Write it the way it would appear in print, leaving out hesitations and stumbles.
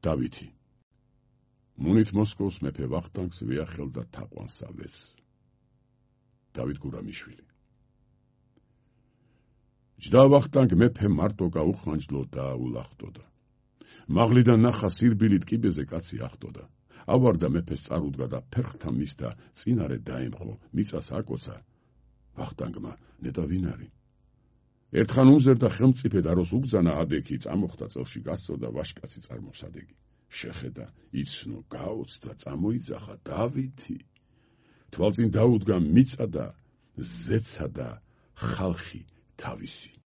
დავითი მუნით მოსკოვს მეფე ვახტანგს ვიახელდა თაყვანსავეს. დავით გურამიშვილი. ჯდა ვახტანგ მეფე მარტო გაუხანჯლო და ულახტოდა. მაღლიდან ნახა სირბილით კიბეზე კაცი ახტოდა. ავარდა მეფეს წარუდგა და ფერხთან მისდა წინარე დაემხო, მიწას აკოცა. ვახტანგმა ნეტა ვინ არის? ერთხან უმზერდა ხელმწიფედ აროს უგზანა ადექი, წამოხდა წელში გასწოდა ვაშკაცი წარმოსადეგი. შეხედა, იცნო, გაოცდა, წამოიძახა დავითი. თვალწინ დაუდგა მიწა და ზეცა და ხალხი თავისი.